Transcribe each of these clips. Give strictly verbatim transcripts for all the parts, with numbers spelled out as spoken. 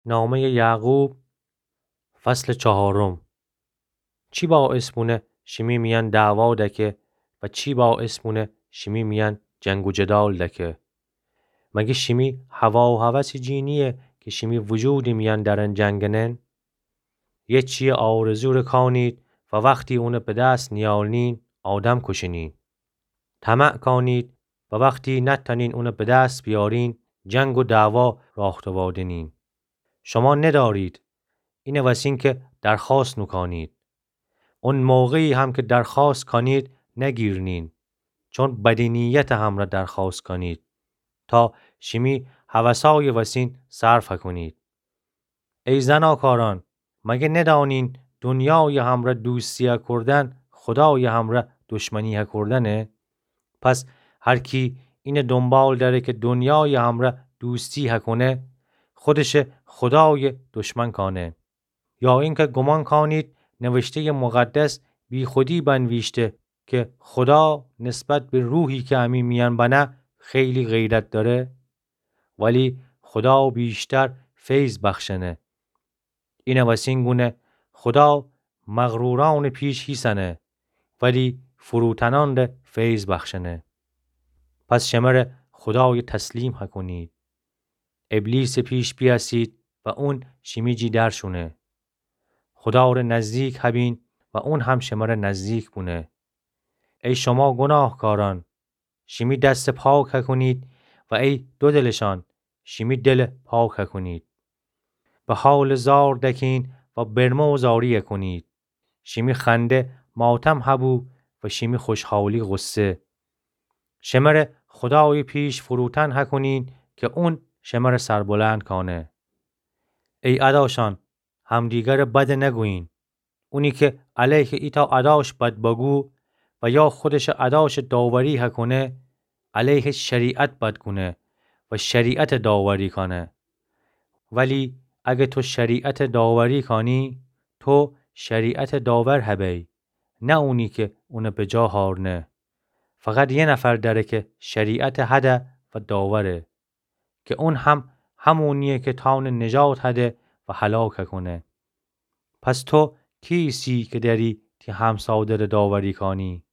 نامهٔ یعقوب، فصل چهارم. چی باعث بونه شیمی میأن دعوا دکه و چی باعث بونه شیمی میأن جنگ و جدال دکه؟ مگه شیمی هوا و هوس جی نییه که شیمی وجودٚ میأن درن جنگنن؟ یه چیه آرزو ره کانید و وختی اونه به دست نیارنین، آدم کشنین. طمع کانید و وختی نتأنین اونه به دست بیارین، جنگ و دعوا راه دوادنین. شما ندارید، اینه وسین که درخواست نوکانید. اون موقعی هم که درخواست کانید، نگیرنین، چون بدی نیتٚ همرأ درخواست کانید، تا شیمی هوسای وسین صرف کونید. ای زناکارأن، مگه ندانین دنیای همرأ دوستی هکردن خدای همرأ دشمنی هکردنه؟ پس هر کی اینه دنبال دأره که دنیای همرأ دوستی هکونه، خودشه خدای دشمن کانه. یا اینکه گمان کانید نوشتهٔ مقدس بیخودی بنویشته که خدا نسبت به روحی که امی میأن بنه خیلی غیرت دأره؟ ولی خدا بیشتر فیض بخشنه. اینه وسین گونه خدا مغرورأنٚ پیش هیسنه، ولی فروتنأن ره فیض بخشنه. پس شمره خدای تسلیم هکونید. ابلیسٚ پیش بیأسید و اون شیمی جی در شونه. خدا ره نزدیک هبین و اون هم شمره نزدیک بونه. ای شما گناهکارأن، شیمی دس پاک هکونید و ای دودلشأن، شیمی دل پاک هکونید. به حالٚ زار دکین و برمه و زاری هکونید. شیمی خنده ماتم هبو و شیمی خوشحالی غصه. شمره خدای پیش فروتن هکونین که اون شمره سربلند کانه. ای اداشأن، همدیگره بد نگویین. اونی که علیه ایتأ اداش بد بگو و یا خودشه اداش داوری هکونه، علیه شریعت بد گونه و شریعت داوری کانه. ولی اگه تو شریعت داوری کانی، تو شریعت داور هبی، نه اونی که اونه به جا هارنه. فقط یه نفر دأره که شریعت هده و داوره، که اون هم همونیه که تأونه نجات هده و هلاک هکونه. پس تو کیسی که دأری تی همسادره داوری کانی؟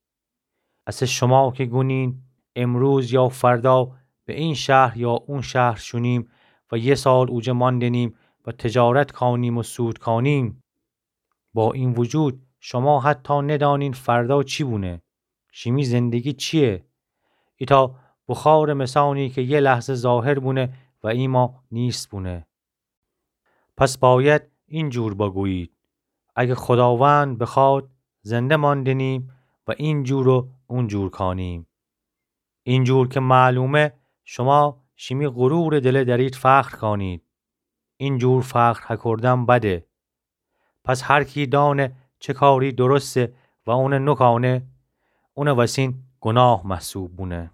اسه شما که گونین امروز یا فردا به این شهر یا اون شهر شونیم و یه سال اوجه ماندنیم و تجارت کانیم و سود کانیم، با این وجود شما حتی ندانین فردا چی بونه. شیمی زندگی چیه؟ ایتأ بخارٚ مثانی که یه لحظه ظاهر بونه و ایما نیست بونه. پس باید این جور بگویید: اگه خداوند بخواد، زنده ماندنیم و این جور و اون جور کانیم. این جور که معلومه، شما شیمی غرورٚ دله دأرید فخر کانید. این جور فخر هکردن بده. پس هر کی دانه چه کاری درسته و اونه نوکانه، اونه وسین گناه محسوب بونه.